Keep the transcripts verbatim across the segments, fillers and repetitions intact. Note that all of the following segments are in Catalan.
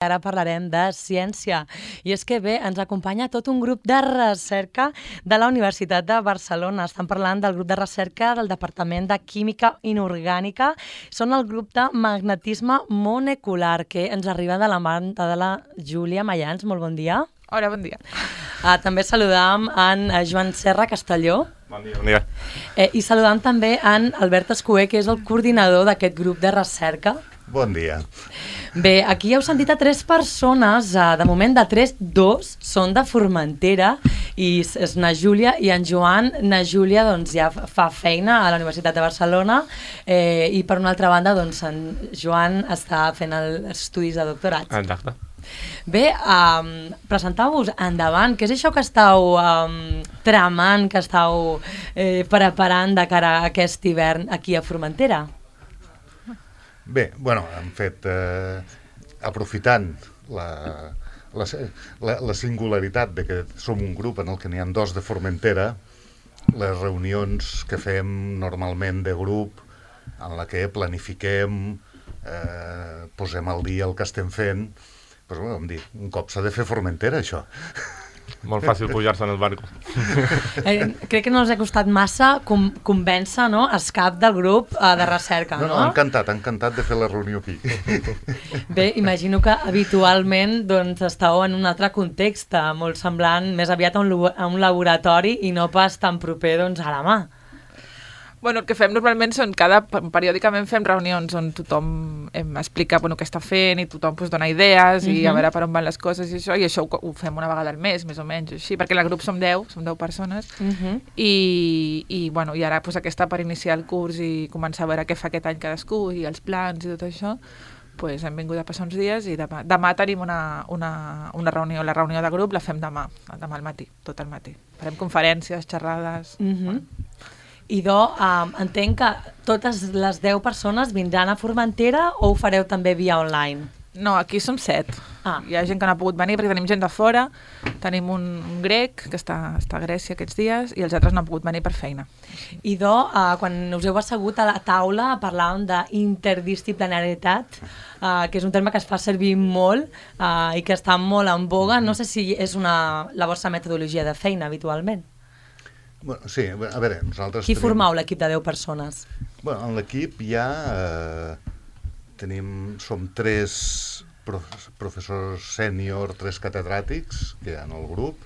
Ara parlarem de ciència. I és que bé, ens acompanya tot un grup de recerca de la Universitat de Barcelona. Estan parlant del grup de recerca del Departament de Química Inorgànica. Són el grup de magnetisme molecular, que ens arriba de la banda de la Júlia Mayans. Molt bon dia. Hola, bon dia. Uh, també saludam en Joan Serra Castelló. Bon dia, bon dia. Eh, I saludam també en Albert Escuer, que és el coordinador d'aquest grup de recerca. Bon dia. Bé, aquí heu sentit a tres persones, eh, de moment de tres, dos són de Formentera, i és na Júlia i en Joan. Na Júlia doncs, ja fa feina a la Universitat de Barcelona eh, i per una altra banda doncs, en Joan està fent els estudis de doctorat. Exacte. Bé, um, presenteu-vos endavant. Què és això que estàu um, tramant, que estàu eh, preparant de cara a aquest hivern aquí a Formentera? Bé, bueno, hem fet, eh, aprofitant la, la, la, la singularitat de que som un grup en el que n'hi ha dos de Formentera, les reunions que fem normalment de grup, en la que planifiquem, eh, posem al dia el que estem fent, doncs, bueno, vam dir, un cop s'ha de fer Formentera, això. Molt fàcil pujar-se en el barco. Eh, crec que no els ha costat massa com, convèncer, no?, el cap del grup eh, de recerca, no? No, no, encantat, encantat de fer la reunió aquí. Bé, imagino que habitualment doncs, estàu en un altre context, molt semblant, més aviat a un, a un laboratori i no pas tan proper doncs, a la mà. Bueno, el que fem normalment són, cada, periòdicament fem reunions on tothom em explica bueno, què està fent i tothom pues, dona idees uh-huh. i a veure per on van les coses i això, i això ho, ho fem una vegada al mes, més o menys, així, perquè el grup som deu, som deu persones, uh-huh. i, i, bueno, i ara pues, aquesta per iniciar el curs i començar a veure què fa aquest any cadascú i els plans i tot això, pues, hem vingut a passar uns dies i demà, demà tenim una, una, una reunió, la reunió de grup la fem demà, demà al matí, tot el matí. Farem conferències, xerrades... Uh-huh. Bueno. I do, um, entenc que totes les deu persones vindran a Formentera o ho fareu també via online? No, aquí som set. Ah. Hi ha gent que no ha pogut venir perquè tenim gent de fora, tenim un, un grec que està, està a Grècia aquests dies i els altres no han pogut venir per feina. I do, uh, quan us heu assegut a la taula parlàvem d'interdisciplinaritat, uh, que és un terme que es fa servir molt uh, i que està molt en boga. No sé si és una, la vostra metodologia de feina habitualment. Bueno, sí, a veure, nosaltres... Qui tenim... formau l'equip de deu persones? Bueno, en l'equip hi ha... Eh, tenim, som tres prof, professors sènior, tres catedràtics que hi ha en el grup.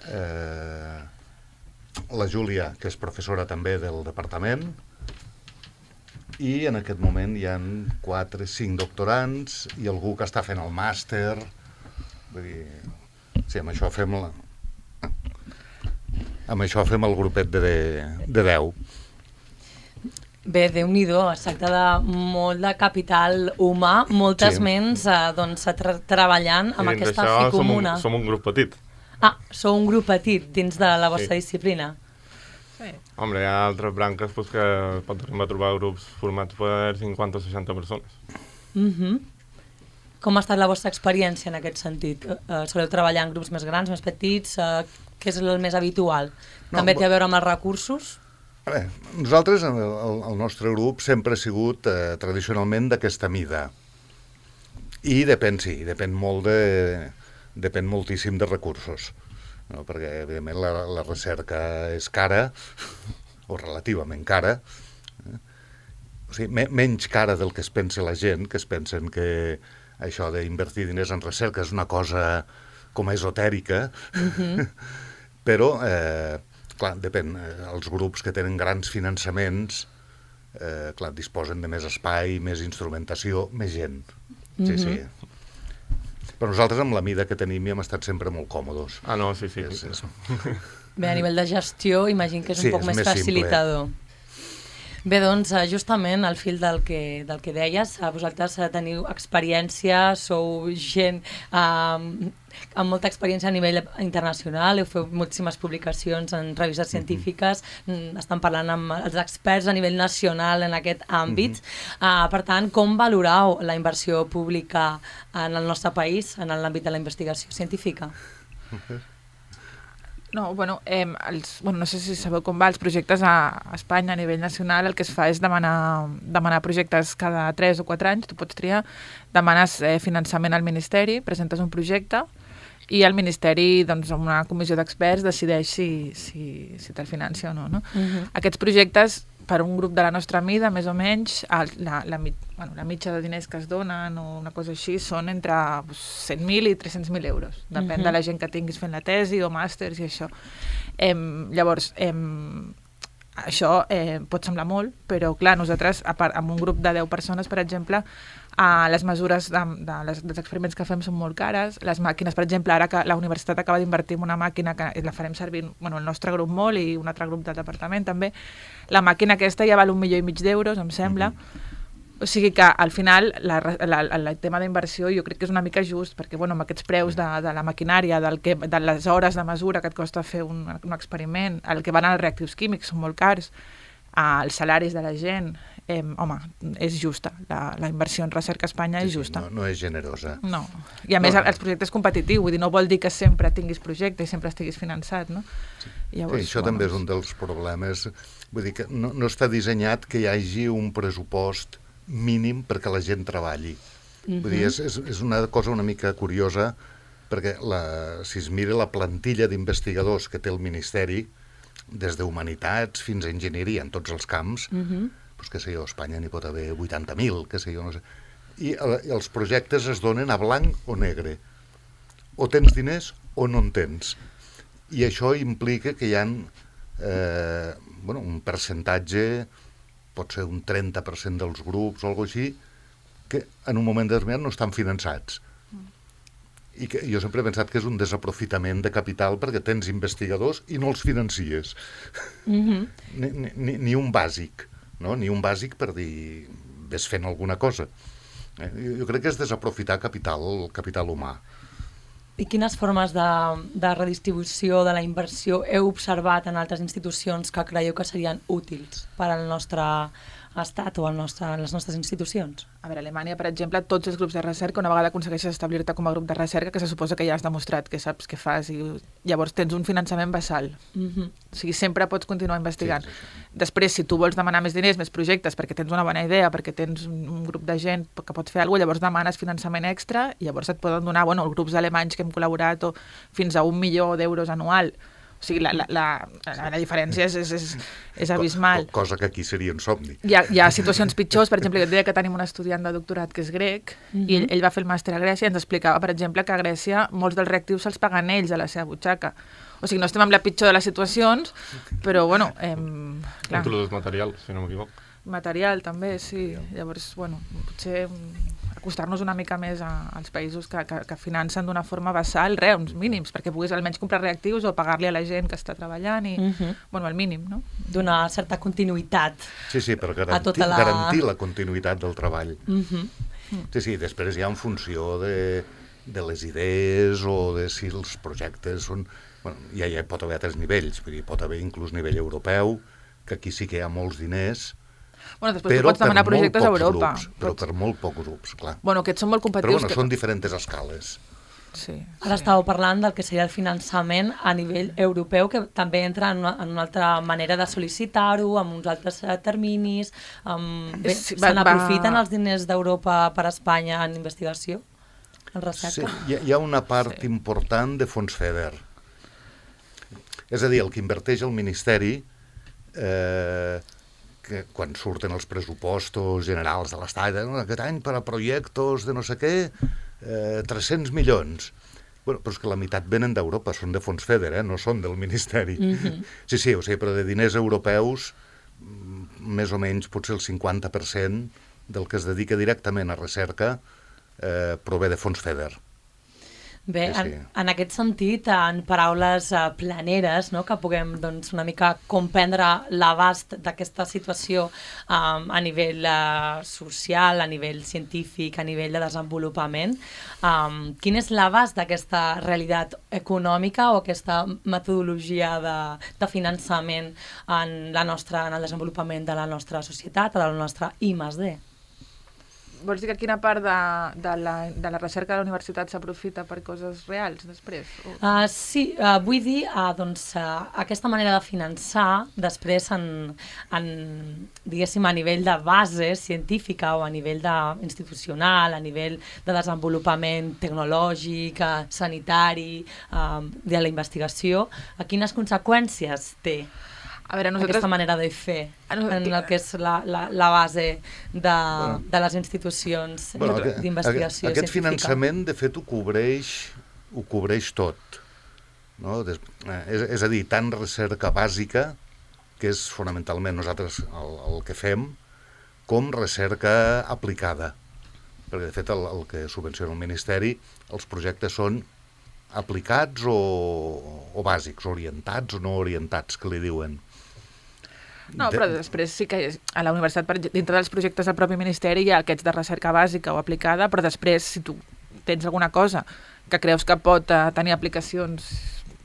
Eh, la Júlia, que és professora també del departament. I en aquest moment hi ha quatre, cinc doctorants i algú que està fent el màster. Vull dir, sí, amb això fem la... Amb això fem el grupet de, de deu. Bé, Déu-n'hi-do, es tracta de molt de capital humà, moltes sí. ments eh, doncs, tra treballant amb I aquesta fi comuna. Som un, som un grup petit. Ah, sou un grup petit dins de la vostra sí. disciplina. Sí. Hombre, hi ha altres branques pues, que pot arribar a trobar grups formats per cinquanta o seixanta persones. Mhm. Com ha estat la vostra experiència en aquest sentit? Uh, soleu treballar en grups més grans, més petits? Uh, què és el més habitual? No, També té a veure amb els recursos? A veure, nosaltres, el, el nostre grup, sempre ha sigut eh, tradicionalment d'aquesta mida. I depèn, sí, depèn molt de... depèn moltíssim de recursos. No? Perquè, evidentment, la, la recerca és cara, o relativament cara, eh? O sigui, me, menys cara del que es pensa la gent, que es pensen que això d'invertir diners en recerca és una cosa com esotèrica, uh-huh. però, eh, clar, depèn, els grups que tenen grans finançaments, eh, clar, disposen de més espai, més instrumentació, més gent. Sí, uh-huh. sí. Però nosaltres, amb la mida que tenim, hi hem estat sempre molt còmodes. Ah, no, sí, sí. És, sí. és... Bé, a nivell de gestió, imagino que és sí, un poc és més, més facilitador. Simple. Bé, doncs, justament al fil del que, del que deies, vosaltres teniu experiència, sou gent eh, amb molta experiència a nivell internacional, heu fet moltíssimes publicacions en revistes científiques, mm-hmm. estan parlant amb els experts a nivell nacional en aquest àmbit. Mm-hmm. uh, per tant, com valorau la inversió pública en el nostre país, en l'àmbit de la investigació científica? No, bueno, eh, els, bueno, no sé si sabeu com va, els projectes a Espanya a nivell nacional el que es fa és demanar, demanar projectes cada tres o quatre anys, tu pots triar, demanes eh, finançament al Ministeri, presentes un projecte i el Ministeri, doncs, amb una comissió d'experts decideix si, si, si te'l financia o no, no? Uh-huh. Aquests projectes, per un grup de la nostra mida, més o menys, el, la, la, bueno, la mitja de diners que es donen o una cosa així són entre pues, cent mil i tres-cents mil euros. Depèn uh-huh. de la gent que tinguis fent la tesi o màsters i això. Em, llavors, em, això eh, pot semblar molt, però clar, nosaltres, a part, amb un grup de deu persones, per exemple, eh, les mesures de, de les, dels experiments que fem són molt cares. Les màquines, per exemple, ara que la universitat acaba d'invertir en una màquina que la farem servir, bueno, el nostre grup molt i un altre grup del departament també, la màquina aquesta ja val un milió i mig d'euros, em sembla. Mm-hmm. O sigui que al final la, la, la, el tema d'inversió jo crec que és una mica just, perquè bueno, amb aquests preus de, de la maquinària, del que, de les hores de mesura que et costa fer un, un experiment, el que van als reactius químics són molt cars, eh, els salaris de la gent, eh, home, és justa. La, la inversió en recerca a Espanya sí, és justa. Sí, no, no és generosa. No. I a no, més no. Els projectes competitius, vull dir, no vol dir que sempre tinguis projecte i sempre estiguis finançat, no? Sí. Llavors, sí, això bueno, també és un dels problemes. Vull dir que no, no està dissenyat que hi hagi un pressupost mínim perquè la gent treballi. Uh-huh. Vull dir, és, és, és una cosa una mica curiosa, perquè la, si es mira la plantilla d'investigadors que té el Ministeri, des d'humanitats fins a enginyeria en tots els camps, uh-huh. doncs, que sé jo, a Espanya n'hi pot haver vuitanta mil, que sé jo, no sé. I el, els projectes es donen a blanc o negre. O tens diners o no en tens. I això implica que hi ha eh, bueno, un percentatge, pot ser un trenta per cent dels grups o alguna cosa així, que en un moment determinat no estan finançats. I que jo sempre he pensat que és un desaprofitament de capital perquè tens investigadors i no els financies. Mm-hmm. ni, ni, ni un bàsic, no? Ni un bàsic per dir ves fent alguna cosa. Eh? Jo crec que és desaprofitar capital, capital humà. I quines formes de, de redistribució de la inversió heu observat en altres institucions que creieu que serien útils per al nostre estat o al nostre, a les nostres institucions? A veure, a Alemanya, per exemple, tots els grups de recerca, una vegada aconsegueixes establir-te com a grup de recerca, que se suposa que ja has demostrat que saps què fas, i llavors tens un finançament basal. Mm-hmm. O sigui, sempre pots continuar investigant. Sí, sí, sí. Després, si tu vols demanar més diners, més projectes, perquè tens una bona idea, perquè tens un, un grup de gent que pot fer alguna cosa, llavors demanes finançament extra i llavors et poden donar, bueno, els grups alemanys que hem col·laborat o fins a un milió d'euros anual. O sigui, la, la, la, la diferència és, és, és, és abismal. Cosa que aquí seria un somni. Hi ha, hi ha situacions pitjors, per exemple, jo et deia que tenim un estudiant de doctorat que és grec, uh-huh. i ell, ell va fer el màster a Grècia i ens explicava, per exemple, que a Grècia molts dels reactius se'ls paguen ells a la seva butxaca. O sigui, no estem amb la pitjor de les situacions, però, bueno... Eh, clar. Inclús material, si no m'equivoc. Material, també, sí. Llavors, bueno, potser acostar-nos una mica més a, als països que, que, que financen d'una forma basal, res, uns mínims, perquè puguis almenys comprar reactius o pagar-li a la gent que està treballant i, uh-huh. bueno, el mínim, no? Donar certa continuïtat. Sí, sí, per garantir, tota la... garantir la continuïtat del treball. Uh-huh. Sí, sí, després ja en funció de, de les idees o de si els projectes són... Bueno, ja, ja pot haver altres nivells, vull dir, pot haver inclús nivell europeu, que aquí sí que hi ha molts diners. Bueno, després però tu pots demanar projectes a Europa. Grups, però per molt pocs grups, clar. Bueno, aquests són molt competitius. Però bueno, que... són diferents escales. Sí, Ara sí. Estàveu parlant del que seria el finançament a nivell europeu, que també entra en una, en una altra manera de sol·licitar-ho, amb uns altres terminis. Amb... Bé, sí, se n'aprofiten va... els diners d'Europa per a Espanya en investigació, en recerca? Sí, hi ha, hi ha una part sí. important de fons FEDER. És a dir, el que inverteix el Ministeri... Eh, que quan surten els pressupostos generals de l'Estat, eh, aquest any per a projectes de no sé què, eh, tres-cents milions. Bueno, però és que la meitat venen d'Europa, són de fons FEDER, eh, no són del Ministeri. Mm-hmm. Sí, sí, o sigui, però de diners europeus, més o menys potser el cinquanta per cent del que es dedica directament a recerca eh, prové de fons FEDER. Bé, sí, sí. En, en aquest sentit, en paraules uh, planeres, no?, que puguem doncs, una mica comprendre l'abast d'aquesta situació um, a nivell uh, social, a nivell científic, a nivell de desenvolupament, um, quin és l'abast d'aquesta realitat econòmica o aquesta metodologia de, de finançament en, la nostra, en el desenvolupament de la nostra societat, de la nostra I més D? vols dir que quina part de, de, la, de la recerca de la universitat s'aprofita per coses reals després? O... Uh, sí, uh, vull dir, uh, doncs, uh, aquesta manera de finançar, després, en, en, diguéssim, a nivell de base científica o a nivell de, institucional, a nivell de desenvolupament tecnològic, uh, sanitari, uh, de la investigació, uh, quines conseqüències té? A veure, nosaltres... aquesta manera de fer, en el que és la, la, la base de, bueno, de les institucions bueno, d'investigació aquest científica. Finançament, de fet, ho cobreix, ho cobreix tot. No? Des, és, és a dir, tant recerca bàsica, que és fonamentalment nosaltres el, el que fem, com recerca aplicada. Perquè, de fet, el, el que subvenciona el Ministeri, els projectes són aplicats o, o bàsics, orientats o no orientats, que li diuen. No, però després sí que a la universitat, dintre dels projectes del propi Ministeri, hi ha aquests de recerca bàsica o aplicada, però després, si tu tens alguna cosa que creus que pot uh, tenir aplicacions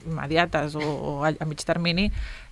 immediates o, o a, a mig termini,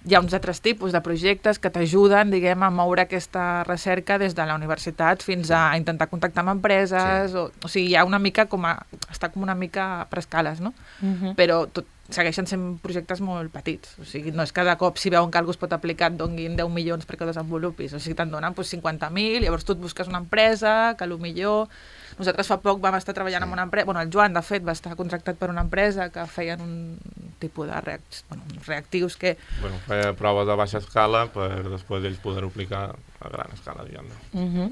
hi ha uns altres tipus de projectes que t'ajuden, diguem, a moure aquesta recerca des de la universitat fins a intentar contactar amb empreses, sí. o, o sigui, hi ha una mica com a... està com una mica per escales, no? Uh-huh. Però tot segueixen sent projectes molt petits. O sigui, no és cada cop, si veuen que algú es pot aplicar, et donguin deu milions perquè ho desenvolupis. O sigui, te'n donen pues, cinquanta mil, llavors tu et busques una empresa, que potser... Nosaltres fa poc vam estar treballant amb una empresa... Bueno, el Joan, de fet, va estar contractat per una empresa que feien un tipus de reac... bueno, reactius que... Bueno, feia proves a baixa escala per després ells poder-ho aplicar a gran escala, diguem-ne. Uh-huh.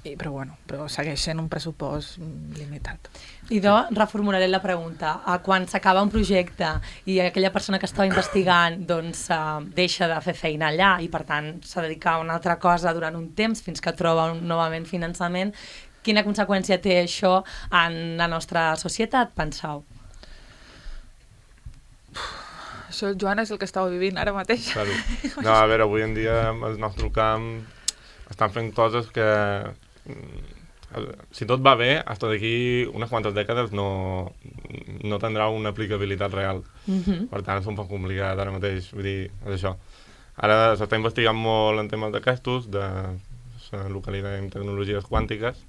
I, però bueno, però segueix sent un pressupost limitat. Idò, reformularé la pregunta. Quan s'acaba un projecte i aquella persona que estava investigant doncs, uh, deixa de fer feina allà i per tant s'ha de dedicar a una altra cosa durant un temps fins que troba un, novament finançament, quina conseqüència té això en la nostra societat, penseu? Això el Joan és el que estava vivint ara mateix. Claro. No, a veure, avui en dia el nostre camp estan fent coses que, si tot va bé, fins d'aquí unes quantes dècades no, no tindrà una aplicabilitat real. Uh-huh. Per tant, és un poc complicat ara mateix. Vull dir, és això. Ara s'està investigant molt en temes d'aquestos, de localitzar tecnologies quàntiques,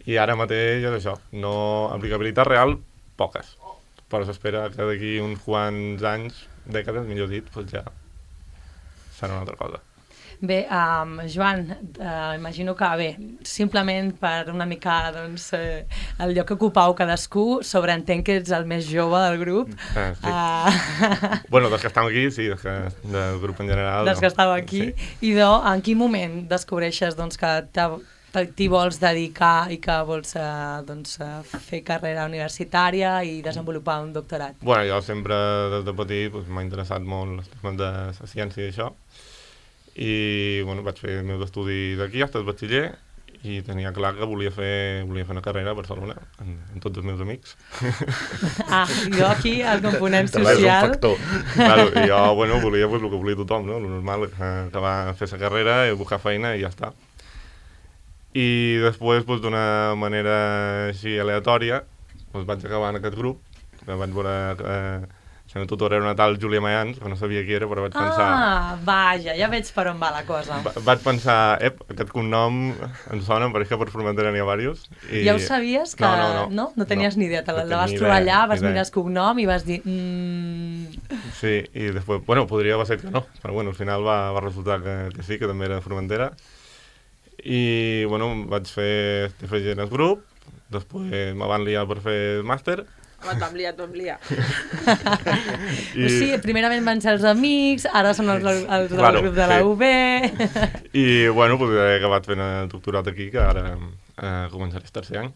i ara mateix és això. No, aplicabilitat real, poques. Però s'espera que d'aquí uns quants anys, dècades, millor dit, doncs ja serà una altra cosa. Bé, um, Joan, uh, imagino que, bé, simplement per una mica, doncs, eh, el lloc que ocupau cadascú, sobreentenc que ets el més jove del grup. Ah, sí. Uh... bueno, dels que estem aquí, sí, dels que, del grup en general. Dels no. que estàu aquí. Sí. I, do, en quin moment descobreixes, doncs, que t'hi vols dedicar i que vols eh, doncs, eh, fer carrera universitària i desenvolupar un doctorat? Bueno, jo sempre, des de petit, doncs, m'ha interessat molt els temes de la ciència i això. I bueno, vaig fer els meus estudis aquí, fins al batxiller, i tenia clar que volia fer, volia fer una carrera a Barcelona, amb, amb tots els meus amics. Ah, jo aquí, el component social... és un factor. Claro, i jo, bueno, volia pues, el que volia tothom, no? El normal, acabar a fer la carrera, i buscar feina i ja està. I després, pues, d'una manera així aleatòria, pues, vaig acabar en aquest grup, que vaig veure que la meva tutora era una tal Júlia Mayans, que no sabia qui era, però vaig pensar... Ah, vaja, ja veig per on va la cosa. Va, vaig pensar, ep, aquest cognom em sona, em pareix que per Formentera n'hi ha diversos. I... Ja ho sabies? Que... No, no, no. No, no tenies no, ni idea, te la no vas trobar allà, vas mirar el cognom i vas dir... Mm... Sí, i després, bueno, podria haver set que no, però bueno, al final va, va resultar que, que sí, que també era de Formentera. I, bueno, vaig fer, estic fent el grup, després me van liar per fer el màster. Et vam liar, et vam liar. I... O sigui, primerament van ser els amics, ara són els, els del claro, grup de la sí. U B... I, bueno, pues, he acabat fent el doctorat aquí, que ara eh, començaré el tercer any.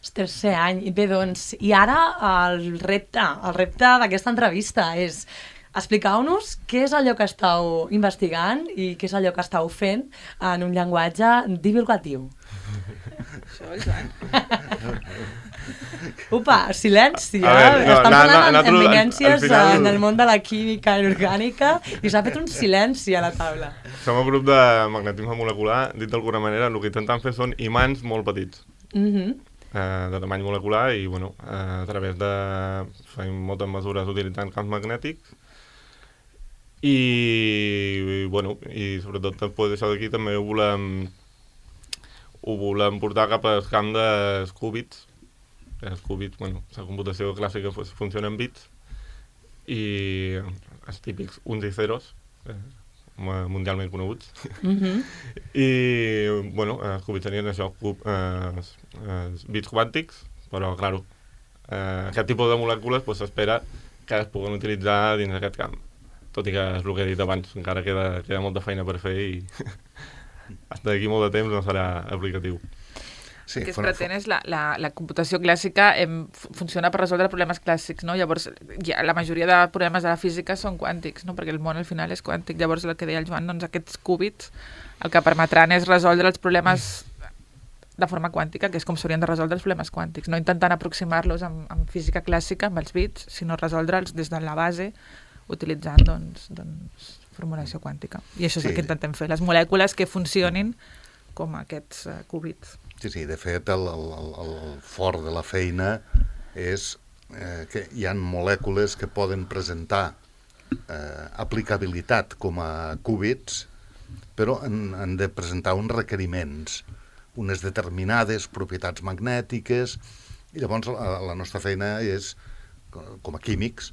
El tercer any. I bé, doncs, i ara el repte, el repte d'aquesta entrevista és... Expliqueu-nos què és allò que estàu investigant i què és allò que estàu fent en un llenguatge divulgatiu. Això, Joan. Upa, silenci, eh? Veure, no, estan na, parlant na, en eminències final... en el món de la química inorgànica i s'ha fet un silenci a la taula. Som un grup de magnetisme molecular, dit d'alguna manera, el que intentem fer són imants molt petits. Mm-hmm. eh, de tamany molecular i, bueno, eh, a través de... fem moltes mesures utilitzant camps magnètics. I, i, bueno, i sobretot després d'això d'aquí també volem ho volem portar cap al camp dels qúbits. Els qúbits, bueno, la computació clàssica pues, funciona en bits i els típics uns i zeros, eh, mundialment coneguts. Mhm. I, bueno, els qúbits tenien això, cub, eh, els, els bits quàntics, però, clar, eh, aquest tipus de molècules pues, s'espera que es puguen utilitzar dins d'aquest camp. Tot i que és el que he dit abans, encara queda, queda molta feina per fer i fins d'aquí molt de temps no serà aplicatiu. Sí, el que es fora- pretén és la, la, la computació clàssica em, funciona per resoldre problemes clàssics, no? Llavors, ja, la majoria de problemes de la física són quàntics, no? Perquè el món al final és quàntic. Llavors, el que deia el Joan, doncs aquests qúbits el que permetran és resoldre els problemes de forma quàntica, que és com s'haurien de resoldre els problemes quàntics, no intentant aproximar-los amb, amb física clàssica, amb els bits, sinó resoldre'ls des de la base, utilitzant, doncs, doncs formulació quàntica. I això és Sí. el que intentem fer, les molècules que funcionin com aquests uh, qúbits. Sí, sí, de fet, el, el, el, el fort de la feina és eh, que hi ha molècules que poden presentar eh, aplicabilitat com a qúbits, però han, han de presentar uns requeriments, unes determinades propietats magnètiques, i llavors la, la nostra feina és, com a químics,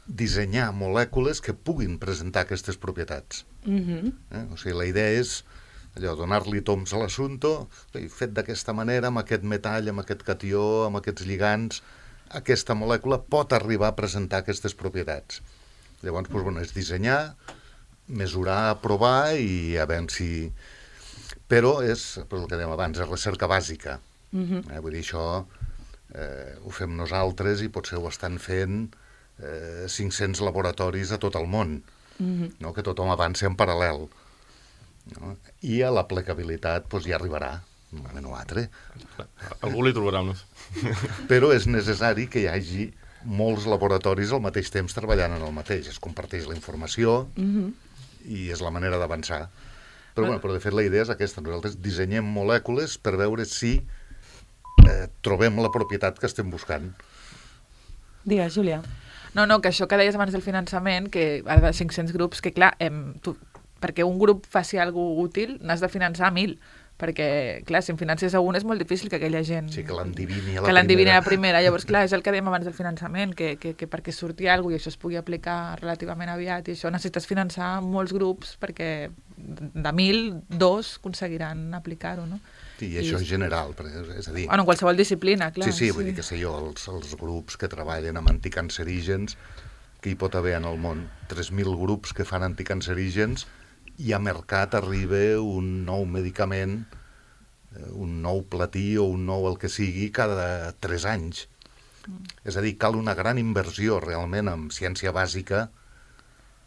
dissenyar molècules que puguin presentar aquestes propietats. Mhm. Eh? O sigui, la idea és allò, donar-li toms a l'assumpte, fet d'aquesta manera, amb aquest metall, amb aquest catió, amb aquests lligants, aquesta molècula pot arribar a presentar aquestes propietats. Llavors, doncs, bueno, és dissenyar, mesurar, provar i a veure si... Però és, per el que dèiem abans, és recerca bàsica. Mhm. Eh? Vull dir, això eh, ho fem nosaltres i potser ho estan fent eh, cinc-cents laboratoris a tot el món, Mhm. no? Que tothom avanci en paral·lel. No? I a l'aplicabilitat doncs, ja arribarà, un moment o altre. Algú li trobarà unes. Però és necessari que hi hagi molts laboratoris al mateix temps treballant en el mateix. Es comparteix la informació Mhm. i és la manera d'avançar. Però, bueno, però de fet la idea és aquesta. Nosaltres dissenyem molècules per veure si eh, trobem la propietat que estem buscant. Digues, Júlia. No, no, que això que deies abans del finançament, que ara de cinc-cents grups, que clar, em, tu, perquè un grup faci alguna útil n'has de finançar mil, perquè, clar, si en finances a un és molt difícil que aquella gent... Sí, que l'endivini a la que l'endivini a primera. la primera. Llavors, clar, és el que dèiem abans del finançament, que, que, que perquè surti alguna cosa i això es pugui aplicar relativament aviat, i això necessites finançar molts grups perquè de mil, dos aconseguiran aplicar-ho, no? Sí, i això és general, perquè, és a dir... Bueno, en qualsevol disciplina, clar. Sí, sí, vull dir que sé jo, els, els grups que treballen amb anticancerígens, que hi pot haver en el món tres mil grups que fan anticancerígens, i a mercat arriba un nou medicament, eh, un nou platí o un nou el que sigui cada tres anys. Mm. És a dir, cal una gran inversió realment en ciència bàsica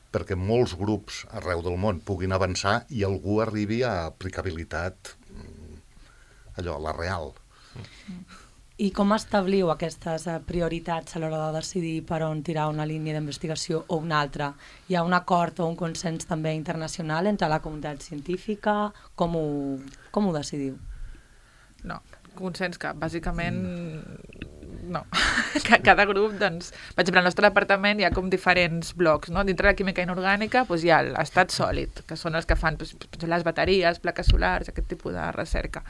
perquè molts grups arreu del món puguin avançar i algú arribi a aplicabilitat, allò, la real. I com establiu aquestes eh, prioritats a l'hora de decidir per on tirar una línia d'investigació o una altra? Hi ha un acord o un consens també internacional entre la comunitat científica? Com ho, com ho decidiu? No, consens cap. Bàsicament, no. Ca- Cada grup, doncs... Per exemple, al nostre departament hi ha com diferents blocs, no? Dintre de la química inorgànica doncs, hi ha l'estat sòlid, que són els que fan doncs, les bateries, plaques solars, aquest tipus de recerca.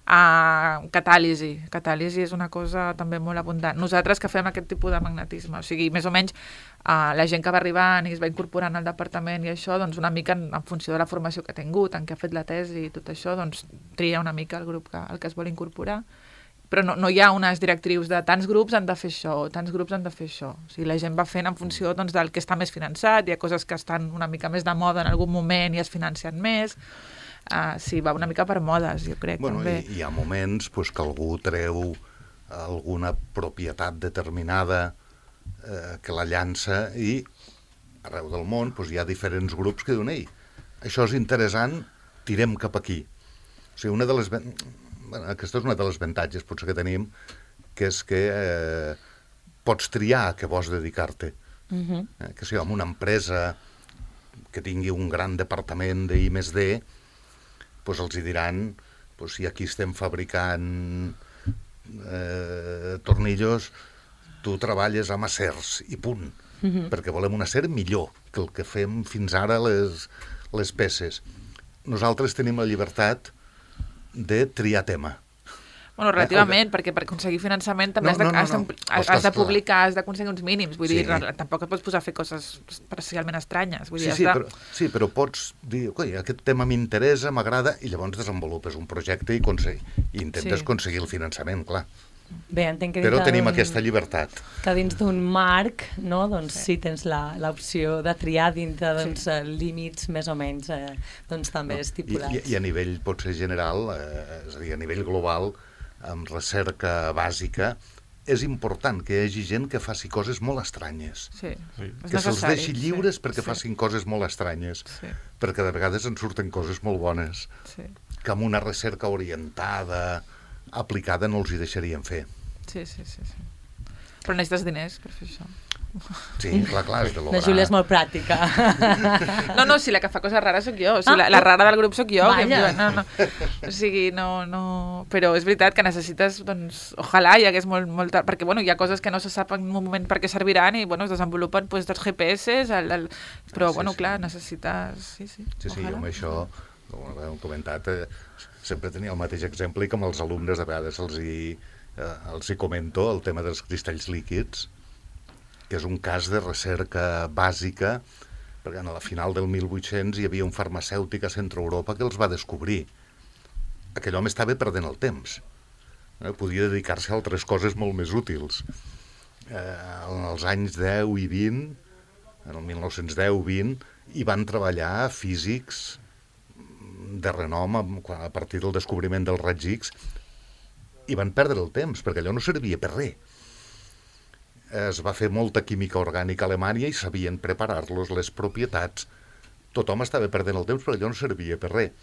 Uh, catàlisi. Catàlisi és una cosa també molt abundant. Nosaltres que fem aquest tipus de magnetisme, o sigui, més o menys uh, la gent que va arribant i es va incorporant al departament i això, doncs una mica en, en funció de la formació que ha tingut, en què ha fet la tesi i tot això, doncs tria una mica el grup que, el que es vol incorporar. Però no, no hi ha unes directrius de tants grups han de fer això, o tants grups han de fer això. O sigui, la gent va fent en funció doncs, del que està més finançat, hi ha coses que estan una mica més de moda en algun moment i es financen més. Uh, sí, va una mica per modes, jo crec, Bueno, també. hi, hi ha moments pues, que algú treu alguna propietat determinada eh, que la llança i arreu del món pues, hi ha diferents grups que diuen ei, això és interessant, tirem cap aquí. O sigui, una de les... Bueno, aquesta és una de les avantatges potser que tenim, que és que eh, pots triar a què vols dedicar-te. Uh-huh. Eh, que si amb una empresa que tingui un gran departament d'I més D, doncs els hi diran, doncs si aquí estem fabricant eh, tornillos, tu treballes amb acers i punt, Uh-huh. perquè volem un acer millor que el que fem fins ara les, les peces. Nosaltres tenim la llibertat de triar tema. Bueno, relativament, eh, perquè per aconseguir finançament també no, has, de, no, no, has, de, no. has, has de publicar, has d'aconseguir uns mínims. Vull sí. dir, tampoc et pots posar a fer coses parcialment estranyes. Vull dir, sí, sí, de... però, sí, però pots dir, coi, aquest tema m'interessa, m'agrada, i llavors desenvolupes un projecte i, i intentes sí. aconseguir el finançament, clar. Bé, entenc que però tenim aquesta llibertat. Que dins d'un marc, no, doncs sí, sí tens l'opció de triar dintre doncs, sí. límits més o menys eh, doncs, també no. estipulats. I, I a nivell potser general, eh, és a dir, a nivell global, amb recerca bàsica, és important que hi hagi gent que faci coses molt estranyes. Sí, sí. Que se'ls deixi lliures sí, perquè sí. facin coses molt estranyes. Sí. Perquè de vegades en surten coses molt bones. Sí. Que amb una recerca orientada, aplicada, no els hi deixarien fer. Sí, sí, sí. sí. Però necessites diners per fer això. Sí, clar, clar, és de l'obra. La Júlia és molt pràctica. No, no, si la que fa coses rares sóc jo. O sigui, ah, la, la rara del grup sóc jo. Que em diuen, no, no. O sigui, no, no... Però és veritat que necessites, doncs, ojalà hi hagués molt, molt... Perquè, bueno, hi ha coses que no se sap en un moment per què serviran i, bueno, es desenvolupen, doncs, dels G P S, el, el... però, ah, sí, bueno, sí. clar, necessites... Sí, sí, sí, sí jo amb això, com hem comentat, eh, sempre tenia el mateix exemple i com els alumnes de vegades els hi, eh, els hi comento el tema dels cristalls líquids, que és un cas de recerca bàsica, perquè a la final del mil vuit-cents hi havia un farmacèutic a Centre Europa que els va descobrir. Aquell home estava perdent el temps. Eh? Podia dedicar-se a altres coses molt més útils. Eh, en els anys deu i vint, en el mil nou-cents deu vint, hi van treballar físics de renom a partir del descobriment dels raigs X i van perdre el temps, perquè allò no servia per res. Es va fer molta química orgànica a Alemanya i sabien preparar-los les propietats. Tothom estava perdent el temps perquè allò no servia per res.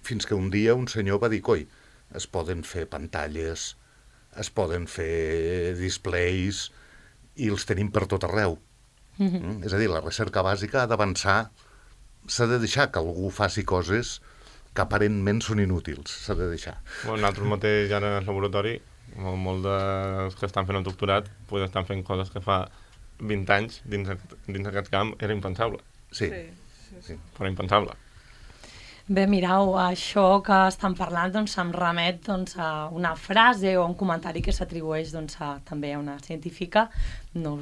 Fins que un dia un senyor va dir, coi, es poden fer pantalles, es poden fer displays i els tenim per tot arreu. Mm-hmm. Mm? És a dir, la recerca bàsica ha d'avançar, s'ha de deixar que algú faci coses que aparentment són inútils, s'ha de deixar. Bueno, nosaltres mateix ara al laboratori, molt, molt dels que estan fent el doctorat pues estan fent coses que fa vint anys dins, dins aquest camp era impensable. Sí. Sí, sí, sí. Però impensable. Bé, mireu, això que estan parlant doncs, em remet doncs, a una frase o un comentari que s'atribueix doncs, a, també a una científica. No,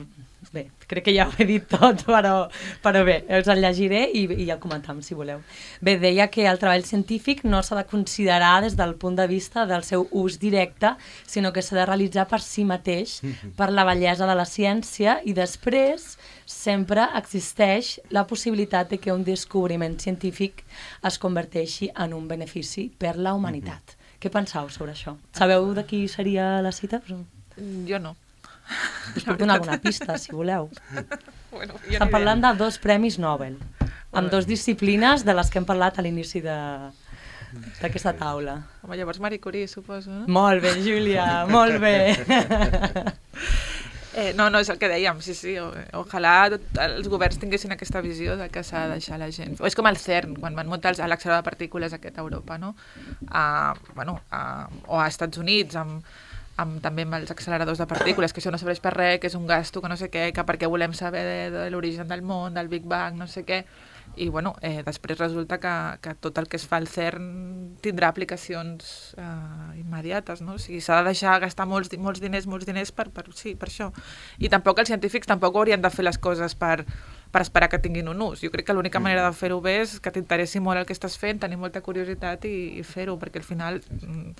bé, crec que ja ho he dit tot, però, però bé, us el llegiré i, i el comentam, si voleu. Bé, deia que el treball científic no s'ha de considerar des del punt de vista del seu ús directe, sinó que s'ha de realitzar per si mateix, per la bellesa de la ciència, i després sempre existeix la possibilitat de que un descobriment científic es converteixi en un benefici per la humanitat. Mm-hmm. Què penseu sobre això? Sabeu de qui seria la cita? Jo no. Us puc donar alguna pista, si voleu. Bueno, Estan parlant de dos premis Nobel, amb dues disciplines de les que hem parlat a l'inici d'aquesta taula. Home, llavors Marie Curie, suposo, no? Molt bé, Júlia, molt bé. Eh, no, no, és el que dèiem, sí, sí, o, ojalà tot, els governs tinguessin aquesta visió de que s'ha de deixar la gent. O és com el CERN, quan van muntar l'accelerador de partícules aquest a Europa, no? A, bueno, a, o a Estats Units, amb, amb, també amb els acceleradors de partícules, que això no serveix per res, que és un gasto, que no sé què, que perquè volem saber de, de l'origen del món, del Big Bang, no sé què. I bueno, eh, després resulta que, que tot el que es fa al CERN tindrà aplicacions eh, immediates, no? O sigui, s'ha de deixar gastar molts, molts diners, molts diners per, per, sí, per això. I tampoc els científics tampoc haurien de fer les coses per, per esperar que tinguin un ús. Jo crec que l'única manera de fer-ho bé és que t'interessi molt el que estàs fent, tenir molta curiositat i, i fer-ho, perquè al final... Mm,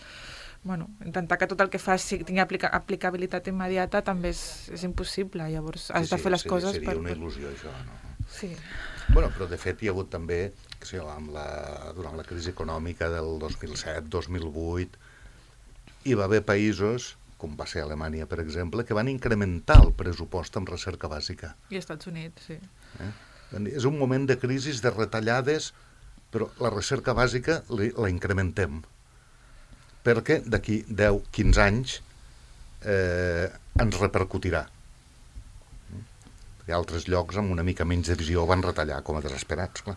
bueno, intentar que tot el que fas tingui aplica aplicabilitat immediata també és, és impossible, llavors has sí, de fer les sí, coses seria per... una il·lusió, això, no? Sí. Bueno, però de fet hi ha hagut també, que sé, amb la, durant la crisi econòmica del dos mil set dos mil vuit, hi va haver països, com va ser Alemanya, per exemple, que van incrementar el pressupost en recerca bàsica. I Estats Units, sí. Eh? És un moment de crisi, de retallades, però la recerca bàsica la incrementem. Perquè d'aquí deu a quinze anys eh, ens repercutirà. Perquè altres llocs amb una mica menys de visió van retallar com a desesperats, clar.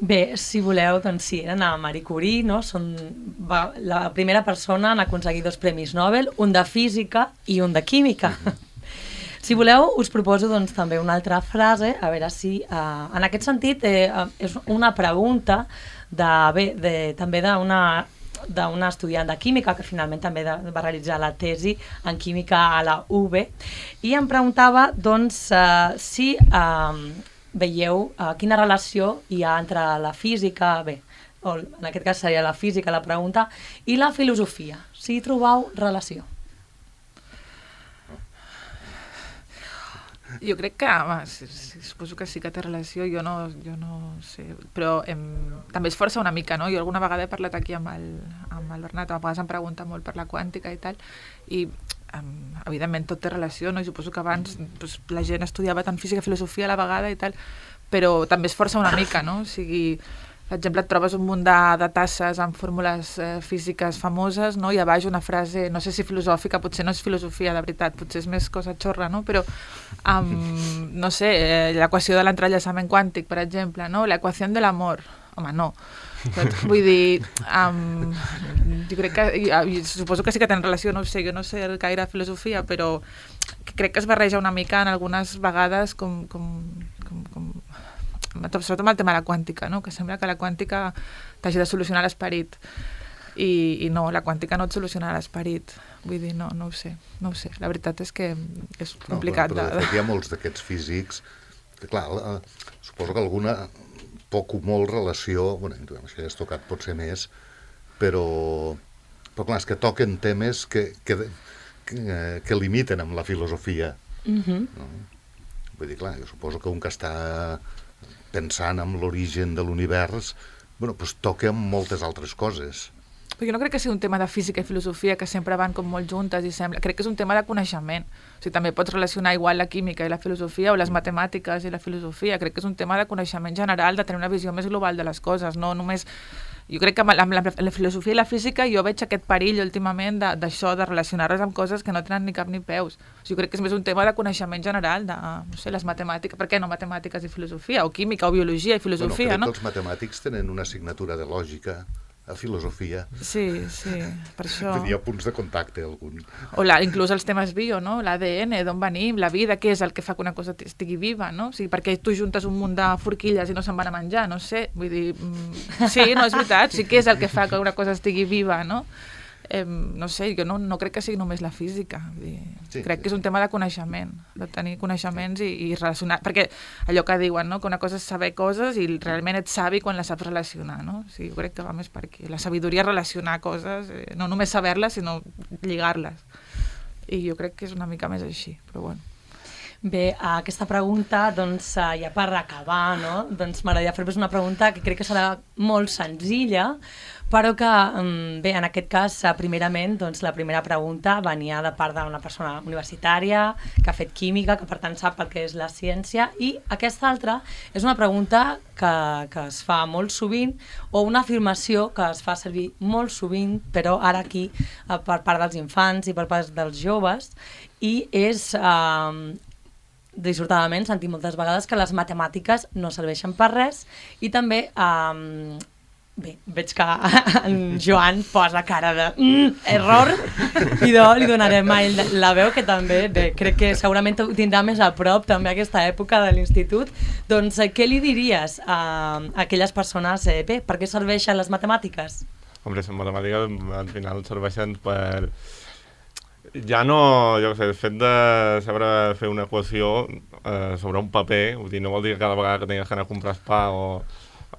Bé, si voleu, doncs sí, eren a Marie Curie, no? Són va, la primera persona en aconseguir dos premis Nobel, un de física i un de química. Mm-hmm. Si voleu, us proposo doncs, també una altra frase, a veure si... Eh, en aquest sentit, eh, és una pregunta de, bé, de, també d'una d'una estudiant de química que finalment també de, va realitzar la tesi en química a la U B, i em preguntava doncs uh, si uh, veieu uh, quina relació hi ha entre la física, bé, o en aquest cas seria la física la pregunta, i la filosofia, si hi trobeu relació. Jo crec que, home, sí, sí, suposo que sí que té relació, jo no, jo no sé, però em, també es força una mica, no? Jo alguna vegada he parlat aquí amb el, amb el Bernat, a vegades em pregunta molt per la quàntica i tal, i em, evidentment tot té relació, no? I suposo que abans doncs, la gent estudiava tant física i filosofia a la vegada i tal, però també es força una mica, no? O sigui, per exemple, et trobes un munt de, de tasses amb fórmules eh, físiques famoses, no? I a baix una frase, no sé si filosòfica, potser no és filosofia de veritat, potser és més cosa xorra, no? Però, um, no sé, eh, l'equació de l'entrellaçament quàntic, per exemple, no? L'equació de l'amor, home, no. Doncs, vull dir, um, jo crec que, i, suposo que sí que tenen relació, no sé, jo no sé gaire filosofia, però crec que es barreja una mica en algunes vegades com... com, com, com sobretot amb el tema de la quàntica, no? Que sembla que la quàntica t'hagi de solucionar l'esperit i, i no, la quàntica no et soluciona l'esperit, vull dir, no, no ho sé, no ho sé, la veritat és que és complicat. No, però, però de fet hi ha molts d'aquests físics que, clar, la, suposo que alguna poc o molt relació, bueno, això ja has tocat potser més, però, però clar, és que toquen temes que, que, que, que limiten amb la filosofia. Mm-hmm. No? Vull dir, clar, jo suposo que un que està pensant en l'origen de l'univers, bueno, doncs toca amb moltes altres coses. Però jo no crec que sigui un tema de física i filosofia que sempre van com molt juntes i sembla... Crec que és un tema de coneixement. O sigui, també pots relacionar igual la química i la filosofia o les matemàtiques i la filosofia. Crec que és un tema de coneixement general, de tenir una visió més global de les coses, no només... Jo crec que amb la, amb la, la filosofia i la física jo veig aquest perill últimament d'això, de, de relacionar-les amb coses que no tenen ni cap ni peus. O sigui, jo crec que és més un tema de coneixement general, de, no sé, les matemàtiques, per què no matemàtiques i filosofia, o química, o biologia i filosofia, bueno, crec no? que els matemàtics tenen una assignatura de lògica a filosofia. Sí, sí, per això... Hi ha punts de contacte, algun. O la, inclús els temes bio, no? L'A D N, d'on venim, la vida, què és el que fa que una cosa estigui viva, no? O sigui, perquè tu juntes un munt de forquilles i no se'n van a menjar, no sé, vull dir... Mm, sí, no, és veritat, sí, què és el que fa que una cosa estigui viva, no? Eh, no sé, jo no, no crec que sigui només la física, vull dir, sí, crec sí. que és un tema de coneixement, de tenir coneixements i, i relacionar, perquè allò que diuen, no? Que una cosa és saber coses i realment ets savi quan les saps relacionar, no? O sigui, jo crec que va més per aquí, la sabidoria és relacionar coses, eh, no només saber-les, sinó lligar-les, i jo crec que és una mica més així, però bueno. Bé, aquesta pregunta, doncs, ja per acabar, no? Doncs m'agradaria fer-vos una pregunta que crec que serà molt senzilla, però que, bé, en aquest cas, primerament, doncs, la primera pregunta venia de part d'una persona universitària que ha fet química, que per tant sap el que és la ciència, i aquesta altra és una pregunta que, que es fa molt sovint, o una afirmació que es fa servir molt sovint, però ara aquí per part dels infants i per part dels joves, i és... Eh, dissortadament sentim moltes vegades que les matemàtiques no serveixen per res i també, um, bé, veig que en Joan posa cara de mm, error i do, li donarem a ell la veu que també, bé, crec que segurament ho tindrà més a prop també aquesta època de l'institut, doncs què li diries a, a aquelles persones, eh, bé, per què serveixen les matemàtiques? Hombre, les matemàtiques al final serveixen per... Ja no, jo què sé, el fet de saber fer una equació eh, sobre un paper, vull dir, no vol dir que cada vegada que tingues que anar a comprar pa o,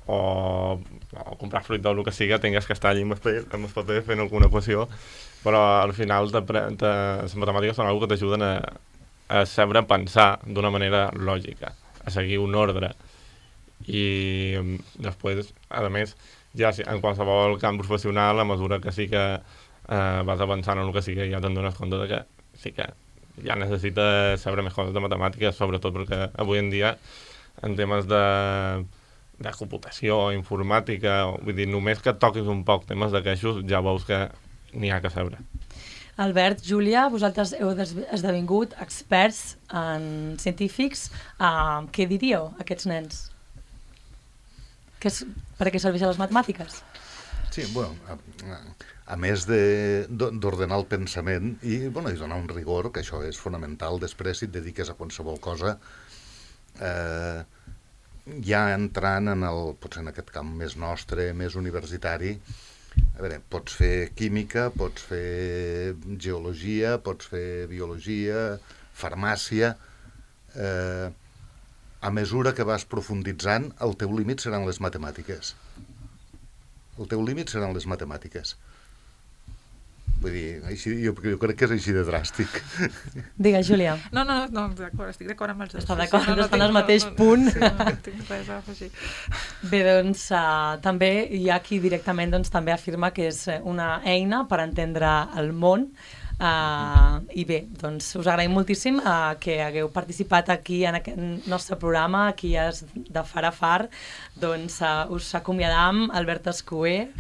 o, o comprar fruita o el que sigui, tingues que estar allà amb el paper, amb el paper fent alguna equació, però al final te, te, les matemàtiques són una cosa que t'ajuden a, a saber pensar d'una manera lògica, a seguir un ordre. I després, a més, ja en qualsevol camp professional, a mesura que sí que Uh, vas avançant en el que sigui, ja te'n dones compte de que sí que ja necessites saber més coses de matemàtiques, sobretot perquè avui en dia en temes de, de computació, informàtica, vull dir, només que toquis un poc temes d'aquestos ja veus que n'hi ha que saber. Albert, Júlia, vosaltres heu esdevingut experts en científics, uh, què diríeu a aquests nens? Que és, per a què serveixen les matemàtiques? Sí, bueno, a, a més d'ordenar el pensament i, bueno, i donar un rigor, que això és fonamental, després si et dediques a qualsevol cosa, eh, ja entrant en el, potser en aquest camp més nostre, més universitari, a veure, pots fer química, pots fer geologia, pots fer biologia, farmàcia... Eh, a mesura que vas profunditzant, el teu límit seran les matemàtiques. El teu límit seran les matemàtiques. Vull dir, així, jo, jo crec que és així de dràstic. Digues, Júlia. No, no, no, d'acord, estic d'acord amb els dos. Està d'acord, no, no, estan al tinc- mateix no, no, punt. Sí, no, no tinc res a afegir. Bé, doncs, uh, també hi ha qui directament doncs, també afirma que és una eina per entendre el món. Uh, I bé, doncs us agraïm moltíssim uh, que hagueu participat aquí en aquest nostre programa, aquí és de Far a Far. Doncs uh, us acomiadam, Albert Escuer,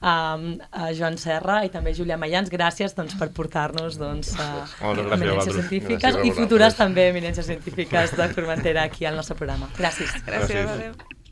um, uh, Joan Serra i també Júlia Mayans. Gràcies doncs, per portar-nos doncs, uh, Moltes gràcies a eminències vosaltres. científiques Gràcies a i futures vosaltres. també eminències científiques de Formentera aquí al nostre programa. Gràcies. Gràcies, Gràcies. adéu.